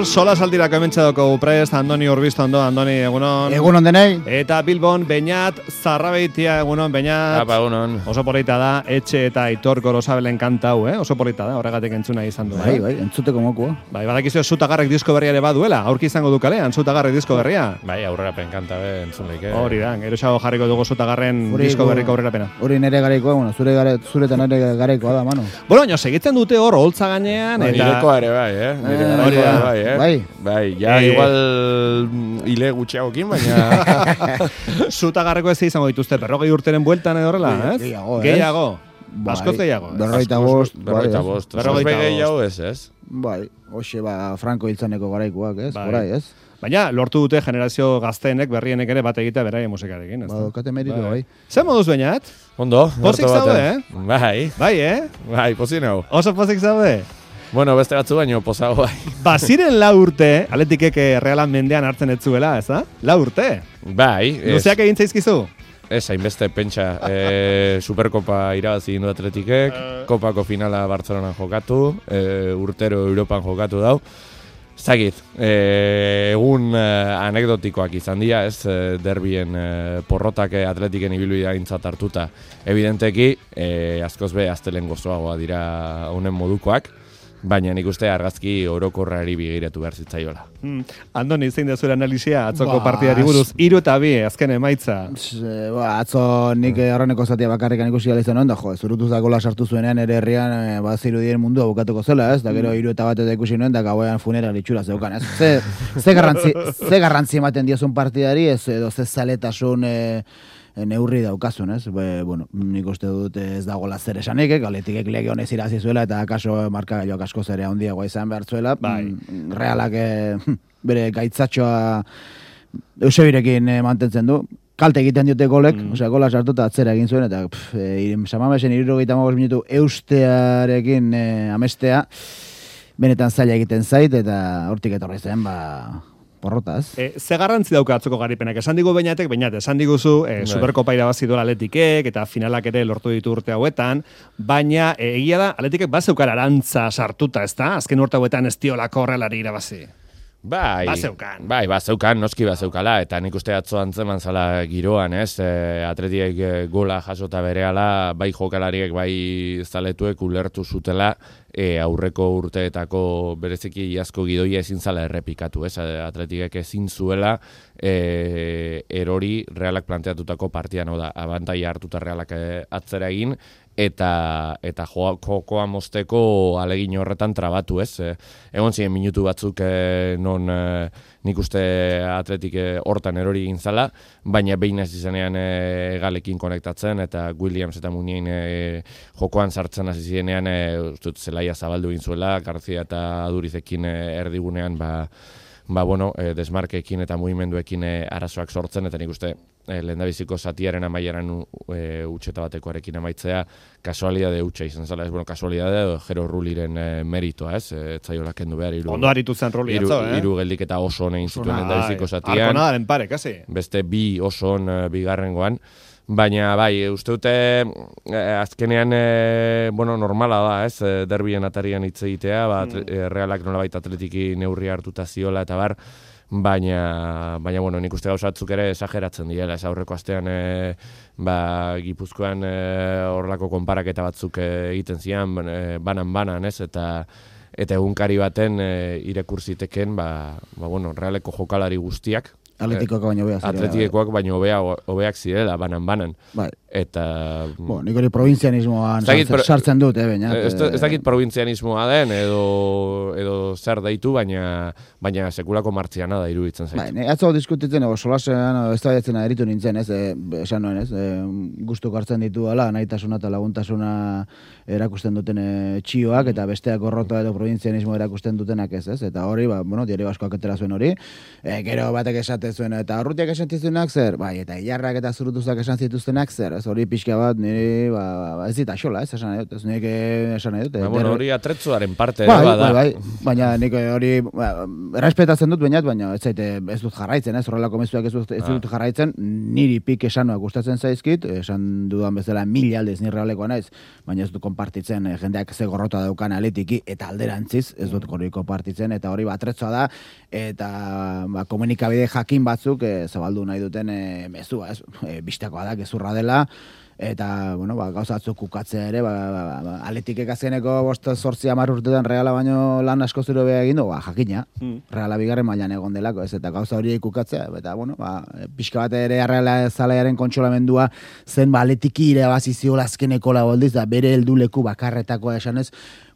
Sola saltirako hementxe daukagu prest, Andoni Urbisto, Andoni, egunon. Egunon denei. Eta Bilbon, Beñat, Zarrabeitia, egunon, Beñat. Apa, egunon. Oso polita da, Etxe eta Aitor Gorosabelen kanta hau, Oso polita da, horregatik entzuna izan du. Bai, entzuteko mokoa. Bai, badakizu Zutagarrek disko berria ere baduela, aurki izango du kalean, Zutagarrek disko berria. Bai, aurrerapen kanta be, entzun leike. Hori da, geroxago jarriko dugu Zutagarren disko berriko aurrerapena. Hori nere gareikoa, bueno, zure eta nere gareikoa da, mano. Bueno, baina segitzen dute hor, holtza gainean, eta... Nirekoa ere bai, Nire gareikoa bai, Bai. Ja, igual hile gutxiagokin, baina... Zutagarreko ez izango dituzte, 40 urteren bueltan edo horrela, ez? Gehiago. Askoz gehiago. 45. 45. Gehiago ez? Bai, hoxe Franco hiltzaneko garaikoak, ez? Horai, ez? Baina, lortu dute generazio gazteenek, berrienek ere bat egitea beraien musikarekin, ez? Badokate meritu, bai. Zer moduz Beñat? Ondo. Pozik zaude, Bai. Bai, Bai, pozik nau. Oso pozik zaude? Bueno, beste batzu baino pozago bai. Baziren 4 urte, Atletikek Realan mendean hartzen ez zuela, ez da? 4 urte? Bai. Luzeak egin zaizkizu? Ez, hainbeste pentsa. Superkopa irabazi indu Atletikek, kopako finala Bartzelonan jokatu, urtero Europan jokatu dau. Zagit, egun anekdotikoak izan dira, ez, derbien porrotak Atletiken ibilbidea gintzat hartuta. Evidenteki, askoz be, aztelen gozoagoa dira honen modukoak, baina nik uste argazki orokorrari begiratu behar zitzaiola. Andoni, zein da zure analizia atzoko partidari buruz, 3-2 azken emaitza. Atzo nik horreneko zatia bakarrikan ikusi gala izan onda, zurutuz da gola sartu zuenean ere herrian zirudien mundua bukatuko zela, ez? Da gero 3-1 eta ikusi nuen, da gauean funeral itxura zeukan, ez? Ze garrantzi ematen diozun partidari, ez edo ze zaletasun neurri daukazun, ez? Bueno, nik uste dut ez dagoela zer esanik, Atletikek lege honez irazi zuela eta akaso markagailoak asko zere handiagoa izan behar zuela. Realak bere gaitzatxoa Eusebirekin mantentzen du. Kalte egiten diote golek, gola sartu eta atzera egin zuen, eta Samamesen 75 minutu eustearekin amestea, benetan zaila egiten zait, eta hortik etorri zen, porrotaz. Ze garrantzi dauka atzoko garipenak? Esan digu Beñat, esan diguzu Superkopa irabazi duela Atletikek eta finalak ere lortu ditu urte hauetan, baina egia da Atletikek bazeukar arantza sartuta, ezta? Azken urte hauetan ez diolako Realari irabazi. Bai, bazeukan, noski bazeukala, eta nik uste atzo antzeman zala giroan, ez? Atletiek gola jasota berehala, bai jokalariek, bai zaletuek ulertu zutela, aurreko urteetako bereziki iazko gidoia ezin zala errepikatu, ez? Atletikek ezin zuela erori Realak planteatutako partian, da, abantaia hartuta Realak atzera egin, eta jokoa mozteko alegin horretan trabatu, ez? Egon ziren minutu batzuk non nik uste Atletik hortan erori egin zala, baina behin ez izanean Galekin konektatzen, eta Williams eta Munien jokoan sartzen hasi zirenean zelaia zabaldu egin zuela, Garzia eta Adurizekin erdigunean, desmarkeekin eta mugimenduekin arazoak sortzen, eta nik uste lehendabiziko zatiaren amaieran utxeta batekoarekin amaitzea kasualidade utxa izan zela, ez, kasualidade edo Jero Ruliren meritoa, ez, etzaiola kendu behar. Ondo aritu zen Ruli atzo, Hiru geldik eta oso honein zituen lehendabiziko zatian. Arkonadaren pare, kasi. Beste 2 oso on bigarrengoan. Baina, bai, uste dute azkenean, normala da, ez, derbien atarian hitz egitea, Realak nolabait Atletiki neurri hartuta ziola eta bar, baina, nik uste gauzatzuk ere esageratzen direla, ez aurreko astean, Gipuzkoan horrelako konparaketa batzuk egiten zian, banan, ez, eta egunkari baten irekurziteken, Realeko jokalari guztiak, Atletikoak baino hobeak zirela, banan. Bai. Eta... nik hori provintzianismoan sartzen dut, baina... Ez dakit provintzianismoa den, edo zer daitu, baina sekulako martziana da iruditzen zaitu. Bai, atzo diskutitzen, solasean, ez da jatzen eritu nintzen, ez, esan nuen, ez, guztuk hartzen ditu ala, nahitasuna eta laguntasuna erakusten duten txioak, eta besteak gorrota edo provintzianismo erakusten dutenak ez, eta hori, diario askoak etera zuen hori, gero batek esate zuen, eta urrutiak esan zituenak zer, bai, eta ilarrak eta zurutuzak esan zituztenak zer, ez? Hori pixka bat, nire, ez dit axola, ez esan nahi dut, ez nire esan nahi dut. Hori atretzuaren parte ere bada. Bai, baina nik hori, errespetatzen dut baina ez dut jarraitzen, ez? Horrelako mezuak ez dut jarraitzen, niri pik esanoak gustatzen zaizkit, esan dudan bezala 1000 aldez nire realekoa naiz, baina ez dut konpartitzen jendeak ze gorrota daukan aletiki, eta alderantziz, ez dut hori konpartitzen, eta hori atretzoa da, eta komunikabide jakin batzuk zabaldu nahi duten mezua, ez? Bistakoa da, gezurra dela, eta, gauza batzuk kukatzea ere, aletikek azkeneko 8-10 urtetan Reala baino lan asko zero beha egin du, jakina, Reala bigarren mailan egon delako, ez, eta gauza hori kukatzea, eta, pixka bat ere Reala zalaiaren kontsolamendua zen, aletiki ire baziziola azkeneko laboldiz, da bere helduleku bakarretakoa esanez,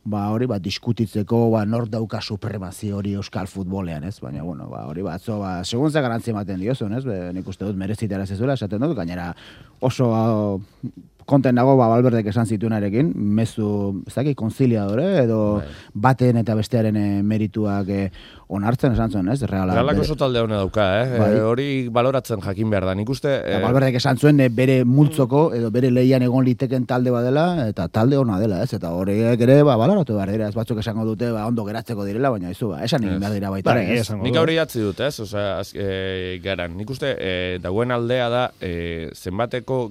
hori diskutitzeko, nor dauka supremazio hori euskal futbolean, ez? Baina, hori batzo, segun ze garantzia ematen diozun, ez? Nik uste dut merezitara zezuela, esaten dut, gainera oso konten dago, Valverdek esan zituenarekin, mezu, ez dakit, konziliadore, edo baten eta bestearen merituak onartzen esan zuen, ez? Realak oso talde hona dauka, hori baloratzen jakin behar da. Nik uste... Valverdek esan zuen bere multzoko, edo bere lehian egon liteken talde badela, eta talde hona dela, ez? Eta horiek ere, baloratu behar dira, ez batzuk esango dute, ondo geratzeko direla, baina izu, esan egin behar dira baita, ez? Nik hori atzi dut, ez? Garan, nik uste, dagoen aldea da, zenbateko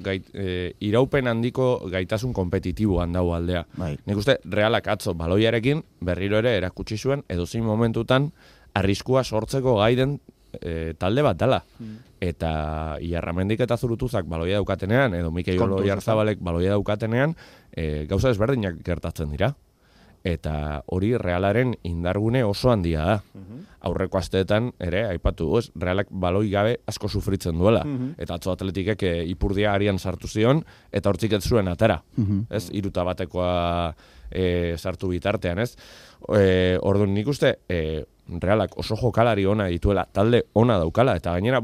iraupen handiko gaitasun kompetitiboan dago aldea. Nik uste, Realak atzo baloiarekin berriro ere erakutsi zuen edozein momentutan arriskua sortzeko gaiden talde bat dela. Eta Iarramendik eta Zurutuzak baloia daukatenean, edo Mikel Oiarzabalek baloia daukatenean, gauza desberdinak gertatzen dira. Eta hori Realaren indargune oso handia da. Aurreko asteetan ere, aipatu, Realak baloi gabe asko sufritzen duela. Eta atzo atletikek ipurdia arian sartu zion, eta hortzik ez zuen atera. Ez, 3-batekoa sartu bitartean, ez? Orduan nik uste, Realak oso jokalari ona dituela, talde ona daukala, eta gainera,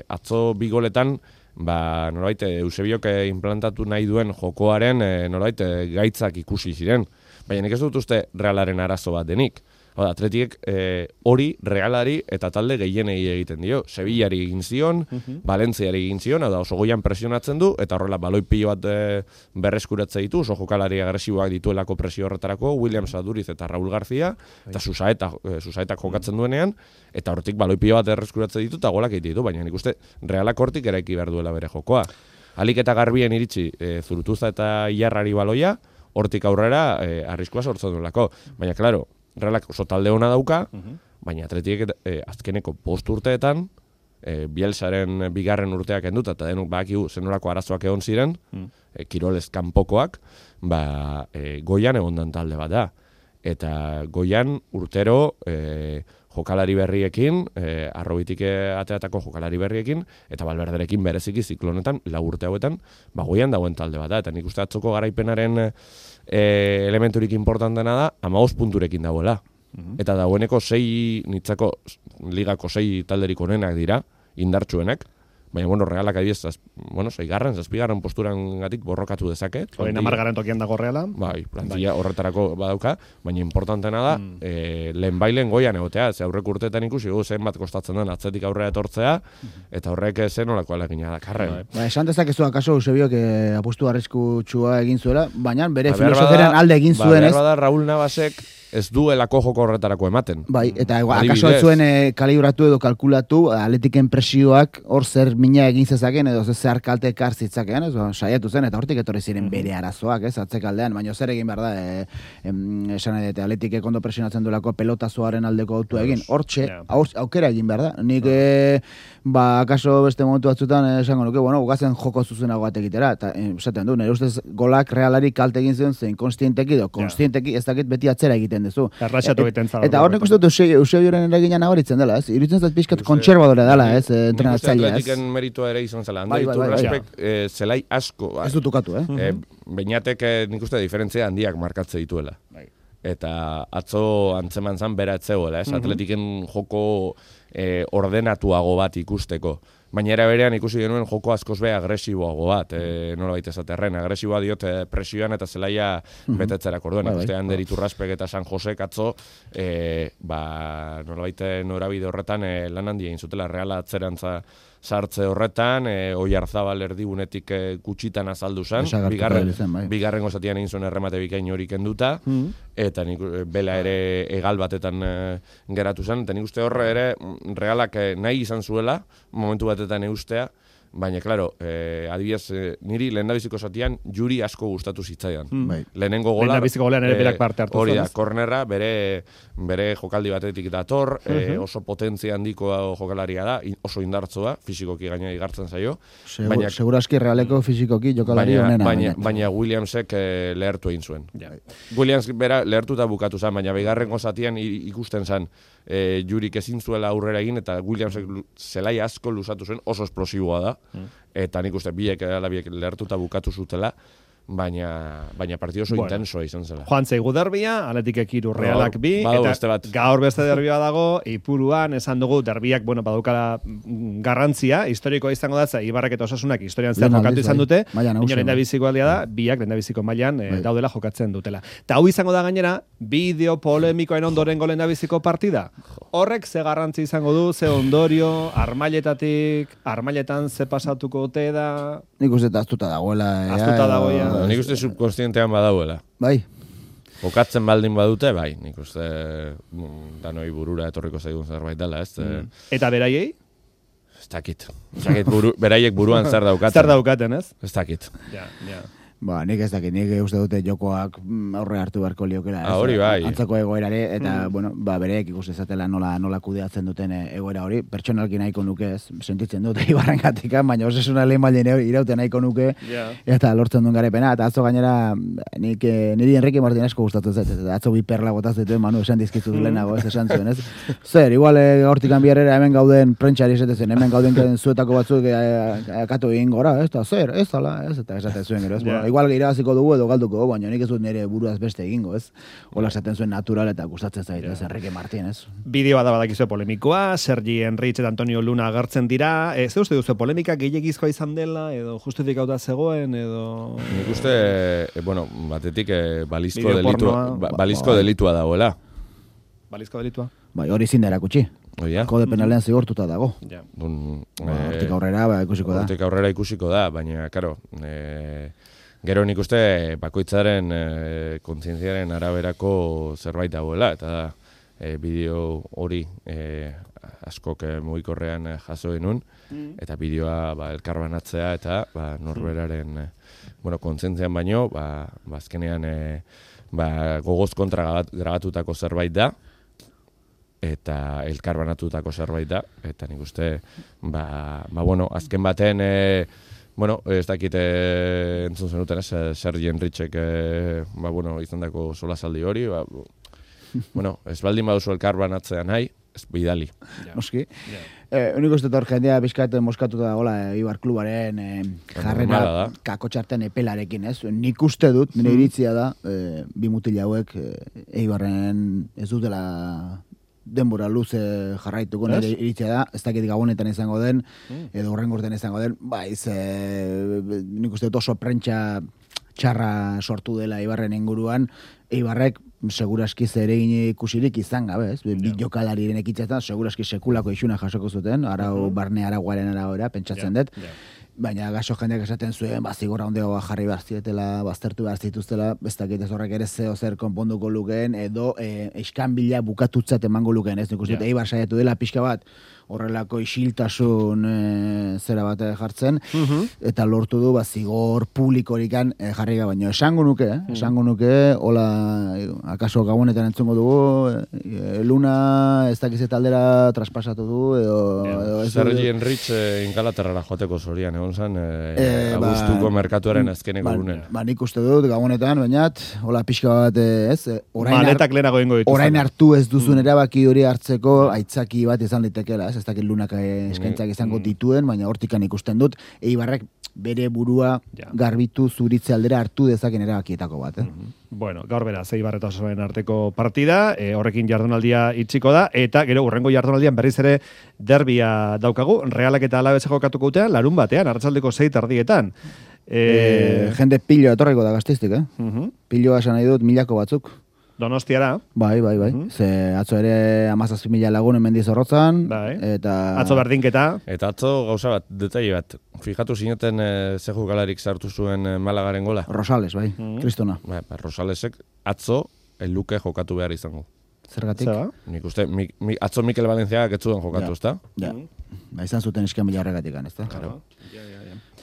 atzo 2 goletan, norbait, Eusebiok implantatu nahi duen jokoaren, norbait, gaitzak ikusi ziren. Baina nik ez dut uste Realaren arazo bat denik. Atletiek hori Realari eta talde gehienei egiten dio. Sevillari egin zion, Valentziari egin zion, oso goian presionatzen du, eta horrela baloi pilo bat berreskuratze ditu, oso jokalari agresiboak dituelako presio horretarako, Williams Aduriz eta Raúl García, eta Susaetak jokatzen duenean, eta hortik baloi pilo bat berreskuratze ditu, eta golak egiten ditu, baina nik uste Realak hortik eraiki behar duela bere jokoa. Alik eta garbien iritsi Zurutuza eta Iarrari baloia, hortik aurrera arriskua sortzen duelako. Baina, klaro, Realak oso talde ona dauka, baina Atletiek azkeneko 5 urteetan, Bielsaren bigarren urteak enduta, eta denuk bakigu zenolako arazoak egon ziren, kirolez kanpokoak, goian egondan talde bat da. Eta goian urtero jokalari berriekin, arrobitik ateatako jokalari berriekin, eta Valverderekin bereziki ziklonetan, 4 urte hauetan, goian dagoen talde bat da. Eta nik uste atzoko garaipenaren elementurik importantena da, 15 punturekin dagoela. Eta dagoeneko nitzako ligako 6 talderik onenak dira, indartsuenak. Baina, Realak adibidez, 6. posturan gatik borrokatu dezake. Hori 10. tokian dago Reala. Plantilla horretarako badauka, baina importantena da, lehen goian egotea, ze aurreko urteetan ikusi, zenbat kostatzen den atzetik aurrera etortzea, eta horrek zenolako alegina da karren. Esan dezakezu akaso Eusebiok apustu arriskutsua egin zuela, baina bere filosofiaren alde egin zuen, ez? Behar bada Raúl Navasek ez duelako joko horretarako ematen. Eta akaso ez zuen kalibratu edo kalkulatu, Atletiken presioak hor zer mina egin zezaken, edo zer kalte ekar zitzakean, saiatu zen, eta hortik etorri ziren bere arazoak, ez, atzekaldean, baina zer egin behar da, esan edete, Atletikek ondo presionatzen duelako pelotazoaren aldeko autua egin, hortxe, aukera egin behar da. Nik, akaso beste momentu batzutan, esango nuke, ugazen joko zuzenago batekitera, eta esaten du, nire ustez golak Realari kalte egin zion zen, konstienteki, ez dakit beti atzera egiten duzu. Eta hor nik uste dut Eusebioren eragina nabaritzen dela, ez? Iruditzen zait pixkat kontserbadore dela, ez? Entrenatzailea, ez? Atletiken meritua ere izan zela. Zelai asko. Ez dut ukatu, Beñatek nik uste diferentzia handiak markatze dituela. Eta atzo antzeman zan bera etzegoela, ez? Atletiken joko ordenatuago bat ikusteko. baina era berean ikusi genuen joko askoz be agresiboago bat, nolabait esaterren, agresiboa diot presioan eta zelaia betetzerak orduan, ikuste Ander Iturraspek eta San Josek atzo, nolabait norabide horretan lan handia egin zutela, Reala atzerantza sartze horretan, Oiarzabal erdigunetik gutxitan azaldu zen, bigarrengo zatian egin zuen erremate bikain hori kenduta, eta bela ere egal batetan geratu zen, eta nik uste horre ere Realak nahi izan zuela, momentu batetan eustea, baina, klaro, adibidez, niri lehendabiziko zatian juri asko gustatu zitzaidan. Lehenengo gola... Lehendabiziko golean ere berak parte hartu hori da, kornerra, bere jokaldi batetik dator, oso potentzia handiko jokalaria da, oso indartzoa, fisikoki gaina igartzen zaio. Seguraski Realeko fisikoki jokalari honena. Baina Williamsek lehertu egin zuen. Williams bera lehertuta bukatu zen, baina bigarrengo zatian ikusten zen jurik ezin zuela aurrera egin, eta Williamsek zelai asko luzatu zuen, oso esplosiboa da. Eta nik uste biek lehertuta bukatu zutela, baina partido oso intensoa izan zela. Joan zeigu derbia, Atletikek 3, Realak 2, eta gaur beste derbia dago, Ipuruan, esan dugu, derbiak, badaukala garrantzia, historikoa izango da, Ibarrek eta Osasunak historian zehar jokatu izan dute, baina lehendabiziko aldia da, biak lehendabiziko mailan daudela jokatzen dutela. Eta hau izango da gainera, bideo polemikoen ondorengo lehendabiziko partida. Horrek ze garrantzi izango du, ze ondorio, armailetan ze pasatuko ote da... Nik uste aztuta dagoela. Aztuta dagoela. Nik uste subkonstientean badauela. Bai. Jokatzen baldin badute, bai. Nik uste danoi burura etorriko zaigun zerbait dela, ez? Eta beraiei? Ez dakit. Beraiek buruan zer daukaten. Zer daukaten, ez? Ez dakit. Ja. Nik ez dakit, nik uste dute jokoak aurre hartu beharko liokela. Hori bai. Antzako egoerare, eta, bereek ikuste zatela nola kudeatzen duten egoera hori. Pertsonalki nahiko nuke ez, sentitzen dute Ibarren gatika, baina Osasuna lehen baldin iraute nahiko nuke, eta lortzen duen garepena. Eta atzo gainera, niri Enrique Martinezko gustatu zait, eta atzo bi perla botaz dituen, Manu, esan dizkizu lehenago, ez esan zuen, ez? Zer, igual hortik biarrera hemen gauden prentxari esatezen, hemen gauden zuetako batzuk akatu egin gora, ez da, zer, ez dala, ez, eta esaten zuen gero, ez? Igual irabaziko dugu edo galduko, baina nik ez dut nire buruaz beste egingo, ez? Ola esaten zuen natural eta gustatzen zait, ez? Enrique Martínez. Bideoa da badakizue polemikoa, Sergi Enrich eta Antonio Luna agertzen dira. Ze uste duzu, polemika gehiagizkoa izan dela, edo justifikauta zegoen, edo... Nik uste, batetik balizko delitua dagoela. Balizko delitua? Bai, hori zin da erakutsi. Kode penalean zigortuta dago. Hortik aurrera ikusiko da, baina, karo... Gero nik uste bakoitzaren kontzientziaren araberako zerbait dagoela, eta bideo hori askok mugikorrean jaso genuen, eta bideoa elkarbanatzea eta norberaren kontzientzian baino, azkenean gogoz kontra grabatutako zerbait da, eta elkarbanatutako zerbait da, eta nik uste, azken baten... ez dakit entzun zenuten, Sergi Enrichek izan dako solasaldi hori, ez baldin baduzu elkarbanatzea nahi, ez bidali. Noski. Unik uste hor jendea bizkat moskatuta dagoela Ibar klubaren jarrera kakotxarten epelarekin, ez? Nik uste dut, nire iritzia da, bi mutil hauek Ibarren ez dutela denbora luze jarraituko nire iritzia da, ez dakit gabonetan izango den, edo horrengorten izango den, nik uste dut oso prentsa txarra sortu dela Ibarren inguruan, Ibarrek seguraski zeregin ikusirik izan gabe, ez? Bi jokalariren ekitzetan seguraski sekulako isuna jasoko zuten, barne araguaren arabera, pentsatzen dut. Baina gaso jendeak esaten zuen, zigorra ondeagoa jarri behar zietela, baztertu behar zituztela, ez dakit ez horrek ere zeo zer konponduko lukeen, edo eskanbila bukatutzat emango lukeen, ez? Nik uste Eibar saiatu dela pixka bat, horrelako isiltasun zera bat jartzen, eta lortu du zigor publikorikan jarri gabe, baina esango nuke, hola, akaso gabonetan entzungo dugu, Luna ez dakiz eta aldera traspasatu du, edo Sergi Enrich Ingalaterrara joateko zorian, egon zen, abuztuko merkatuaren azkeneko gunen. Nik uste dut, gabonetan, bainat, hola pixka bat, ez, maletak lehenago ingo dituzan. Orain hartu ez duzun erabaki hori hartzeko aitzaki bat izan litekela, ez? ez dakit lunak eskaintzak izango dituen, baina hortikan ikusten dut, Eibarrek bere burua garbitu zuritze aldera hartu dezaken erabakietako bat. Bueno, gaur beraz, Eibar eta Osasunen arteko partida, horrekin jardunaldia itxiko da, eta gero urrengo jardunaldian berriz ere derbia daukagu, Realak eta Alabesa jokatuko utean, larun batean, arratsaldeko 6:00 jende piloa etorriko da Gasteiztik, Piloa esan nahi dut milako batzuk. Donostiara. Bai. Ze atzo ere 17.000 lagun hemen Mendizorrotzan. Eta... Atzo berdinketa. Eta atzo gauza bat, detaile bat. Fijatu zineten ze jokalarik sartu zuen Malagaren gola? Rosales, bai. Kristona. Rosalesek atzo luke jokatu behar izango. Zergatik? Nik uste, atzo Mikel Valenciagak ez zuen jokatu, ezta? Ja. Izan zuten esken mila horregatik, ezta? Claro.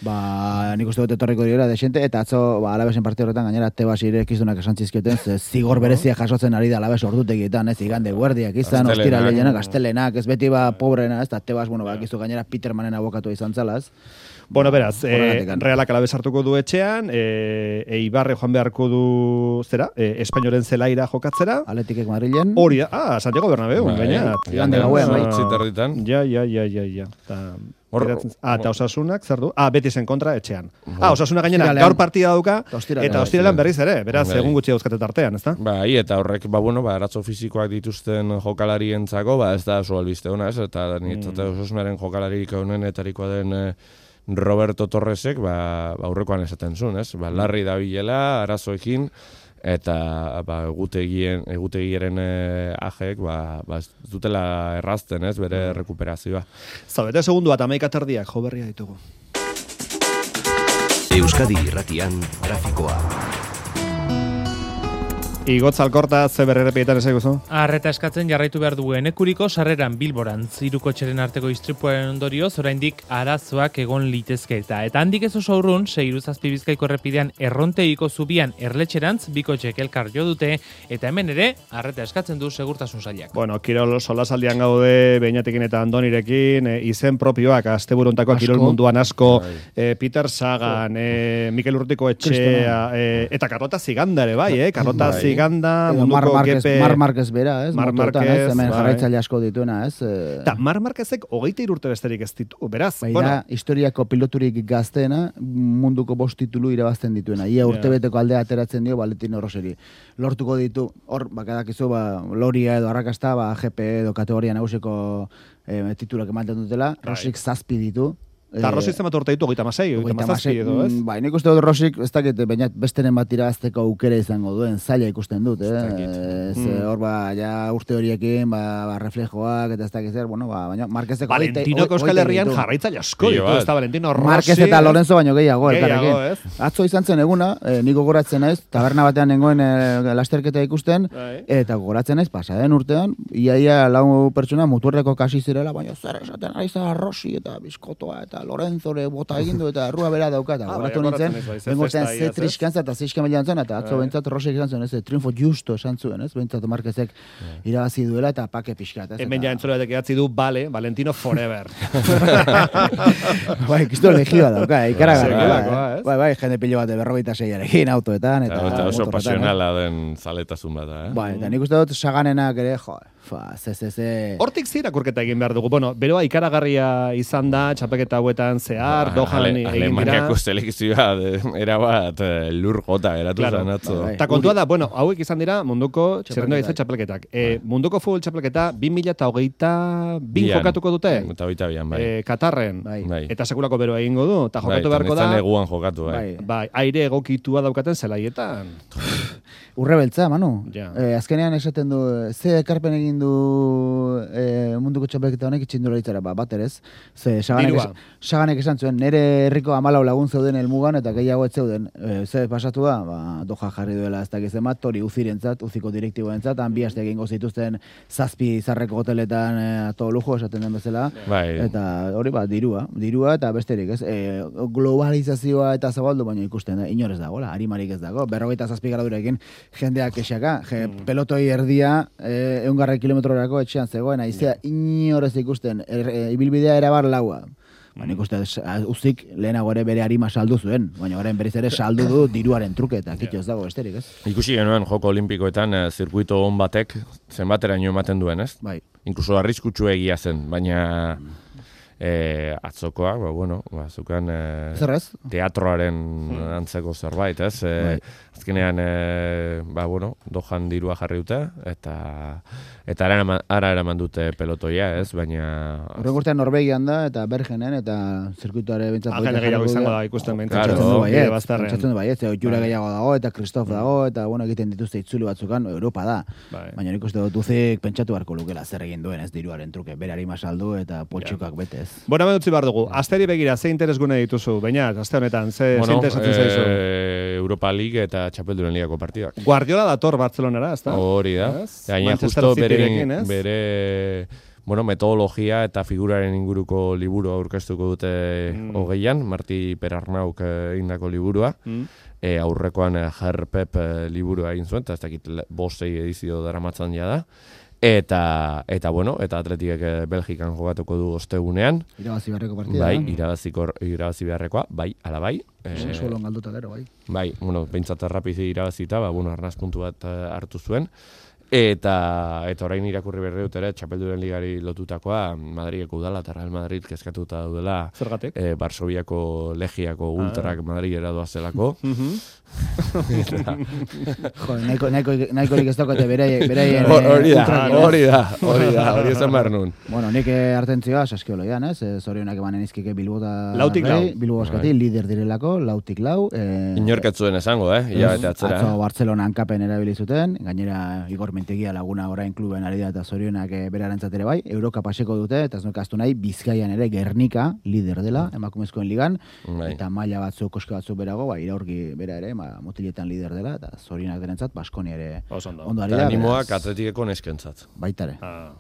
Nik uste dut etorriko dira desente, eta atzo Alabesen parte horretan gainera Tebas irekizunak esan zizkioten, zigor berezia jasotzen ari da Alabes ordutegietan, igande guardiak izan, ostira lehenak, astelenak, ez beti pobrena, ez da Tebas, bakizu gainera Petermanen abokatu izan zalaz. Bueno, beraz, Realak Alabes hartuko du etxean, Eibarre joan beharko du, Espainoren zelaira jokatzera. Atletikek Madrilen. Hori da, Santiago Bernabeu, gaina. Igande gauean, bai. Ja. Eta Osasunak, zer du? Betisen kontra etxean. Osasuna gainera gaur partida dauka, eta ostiralan berriz ere, beraz, egun gutxi dauzkate tartean, ezta? Bai, eta horrek, arazo fisikoak dituzten jokalarientzako, ez da oso albiste ona, ez? Eta nitzate Osasunaren jokalarik honenetarikoa den Roberto Torresek, aurrekoan esaten zuen, ez? Larri da bilela, arazoekin, eta egutegiaren ajeek ez dutela errazten, ez, bere rekuperazioa. Zabete segundu bat 11:30 jo berria ditugu. Euskadi Irratian trafikoa. Igotz Alkorta, ze berrerepietan ezaguzu? Arreta eskatzen jarraitu behar dugu Enekuriko sarreran Bilboran ziruko txeren arteko istripuaren ondorioz oraindik arazoak egon litezketa. Eta handik ez oso urrun, 6 Bizkaiko errepidean Errontegiko zubian Erletxerantz bikotxek elkar jo dute, eta hemen ere arreta eskatzen du segurtasun sailak. Bueno, kirol solasaldian gaude Beñatekin eta Andonirekin, izen propioak asteburuntakoak kirol munduan asko, Peter Sagan, Mikel Urrutiko etxea, eta Karlota Ziganda ere bai, Karlota Ziganda, munduko gepe... Mar Marquez bera, ez? Mar Marquez, hemen jarraitzaile asko dituena, ez? Ta Mar Marquezek 23 urte besterik ez ditu, beraz. Baina, historiako piloturik gazteena, munduko 5 titulu irabazten dituena. Ia urtebeteko aldea ateratzen dio Valentino Rosseri. Lortuko ditu, hor, bakadakizu, Loria edo arrakasta, GP edo kategoria nagusiko titulak ematen dutela, Rossik 7 ditu. Eta Rosik zenbat urte ditu, 36 edo, ez? Bai, nik uste dut Rosik, ez dakit, baina besteren bat irabazteko aukera izango duen, zaila ikusten dut, hor, urte horiekin, reflejoak, eta ez dakit zer, baina Marquezeko... Valentinoko Euskal Herrian jarraitzaile asko ditu, ez da Valentino Rossi... Marquez eta Lorenzo baino gehiago, elkarrekin. Atzo izan zen eguna, niko gogoratzen naiz, taberna batean nengoen lasterketa ikusten, eta gogoratzen naiz, pasaden urtean, iaia 4 pertsona muturreko kasi zirela, baina zer esaten ari zara Rossi eta Bizkotoa eta Lorenzore bota egindu eta errua bera dauka eta goratu nintzen, bengotzen ze triskantza eta zeiskamelian zen, eta atzo bentsat Rosek izan zuen, triunfo justo esan zuen, bentsat Marquezek irabazi duela eta pake pixkat. Hemen ja entzulatek edatzi du, Valentino forever. Bai, kisto legioa dauka, ikaragarri. Bai, jende pilo bat 46arekin autoetan. Eta oso pasionala den zaletazun bat, Bai, eta nik uste dut Saganenak ere, Hortik zirakurketa egin behar dugu. Bueno, beroa ikaragarria izan da, txapeketa hauetan zehar, Dohan egin dira. Alemaniako selekzioa erabat lur jota eratu zan atzo. Eta kontua da, hauek izan dira munduko txerrendo gaizu txapelketak. Munduko futbol txapelketa 2022 jokatuko dute. Eta 22an, bai. Katarren. Eta sekulako beroa egingo du. Eta jokatu beharko da. Bai, neguan jokatu, bai. Aire egokitua daukaten zelaietan. Urrebeltza, Manu. Azkenean esaten du, ze ekarpen egin du munduko txapelketa honek itxindularitzara, bat erez. Saganek esan zuen, nire herriko 14 lagun zeuden helmugan eta gehiago ez zeuden. Ze pasatu da, Doha jarri duela ez dakiz emat, hori uzirentzat, uziko direktiboentzat, han 2 aste egingo zituzten 7 zarreko hoteletan to lujo esaten den bezala. Eta hori dirua eta besterik, ez? Globalizazioa eta zabaldu baino ikusten, inorez dagoela, arimarik ez dago, 47 gradurekin jendeak esaka, pelotoi erdia 100 kilometrorako etxean zegoen, aizea inorez ikusten, ibilbidea erabar laua. Nik uste uzik lehenago ere bere arima saldu zuen, baina orain berriz ere saldu du diruaren truke eta kitxo ez dago esterik, ez? Ikusi genuen Joko Olimpikoetan zirkuito on batek zenbateraino ematen duen, ez? Bai. Inkluso arriskutsu egia zen, baina atzokoak, zukan teatroaren antzeko zerbait, ez? Azkenean, dojan dirua jarri dute, eta ara eraman dute pelotoia, ez? Baina... Horren urtean Norvegian da, eta Bergenen, eta zirkuituare bintzat... Agenda gehiago izango da, ikusten pentsatzen du baiet, oitxura gehiago dago, eta Kristof dago, eta egiten dituzte itzuli batzukan, Europa da. Baina nik uste dut uzik pentsatu beharko lukela zer egin duen, ez diruaren truke, berari masaldu eta poltsukak betez. Bueno, hemen utzi behar dugu, asteri begira, ze interesgune dituzu, baina, aste honetan, ze interesatzen zaizu? Europa League eta Txapelduren Ligako partidak. Guardiola dator Bartzelonara, ezta? Hori da. Gaina justo bere metodologia eta figuraren inguruko liburu aurkeztuko dute hogeian, Marti Perarnauk egindako liburua. Aurrekoan Herpep liburua egin zuen, eta ez dakit 5 edizio daramatzan ja da. Eta Atletikek Belgikan jokatuko du ostegunean. Irabazi beharreko partida. Bai, irabazi beharrekoa, bai, ala bai. Solon galduta gero, bai. Bai, behintzat errapizi irabazita, arnaz puntu bat hartu zuen. Eta orain irakurri berri dut ere, Txapelduren Ligari lotutakoa, Madrideko udala eta Real Madrid kezkatuta daudela. Zergatik? Barsobiako Legiako ultrak Madridera doazelako. Nahikorik ez daukate beraien hori esan behar nun. Bueno, nik hartentzioa saskioloian, ez? Zorionak emanen izkike Bilbota... Lautik lau. Bilbo Baskati, lider direlako, lautik lau. Inorketzuen esango, hilabete atzera. Atzo Barcelona hankapen erabili zuten, gainera Igor Mentegia Laguna orain kluben ari da eta zorionak berarentzat ere bai. Euroka paseko dute, eta ez nukaztu nahi, Bizkaian ere Gernika lider dela, emakumezkoen ligan, eta maila batzuk, koske batzuk berago, iraurgi bera ere, motiletan lider dela, eta zorionak derentzat, Baskoni ere ondo ari da. Animoak Atletikeko neskentzat. Baitare.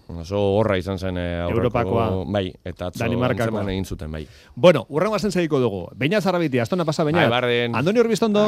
Oso horra izan zen Europakoa. Bai, eta atzo antzeman egin zuten, bai. Bueno, urrengo azen segiko dugu. Beina Zarrabiti, astona pasa beina. Bai, barren. Andoni Urbiztondo.